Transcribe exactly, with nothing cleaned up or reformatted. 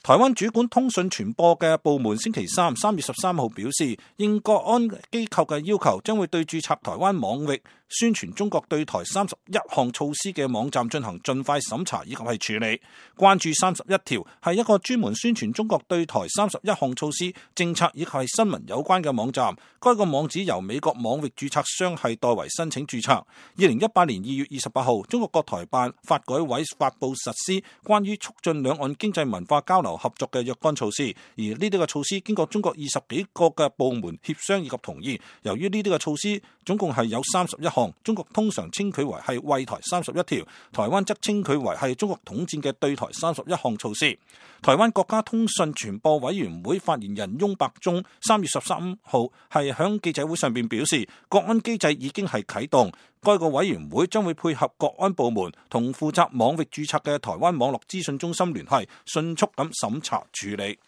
台灣主管通訊傳播嘅部門星期三三月十三號表示，應國安機構嘅要求，將會對註冊台灣網域宣傳中國對台三十一項措施嘅網站進行盡快審查以及係處理。關注三十一條係一個專門宣傳中國對台三十一項措施、政策以及係新聞有關嘅網站。該個網址由美國網域註冊商係代為申請註冊。二零一八年二月二十八號，中國國台辦發改委發布實施關於促進兩岸經濟文化交流合作嘅若干措施，而呢啲嘅措施經過中國二十幾個嘅部門協商以及同意。由於呢啲嘅措施總共係有三十一項，中國通常稱佢為係惠台三十一條，台灣則稱佢為係中國統戰嘅對台三十一項措施。台灣國家通訊傳播委員會發言人翁伯忠三月十三號係響記者會上邊表示，國安機制已經係啟動，該個委員會將會配合國安部門同負責網域註冊嘅台灣網絡資訊中心聯繫，迅速咁審查處理。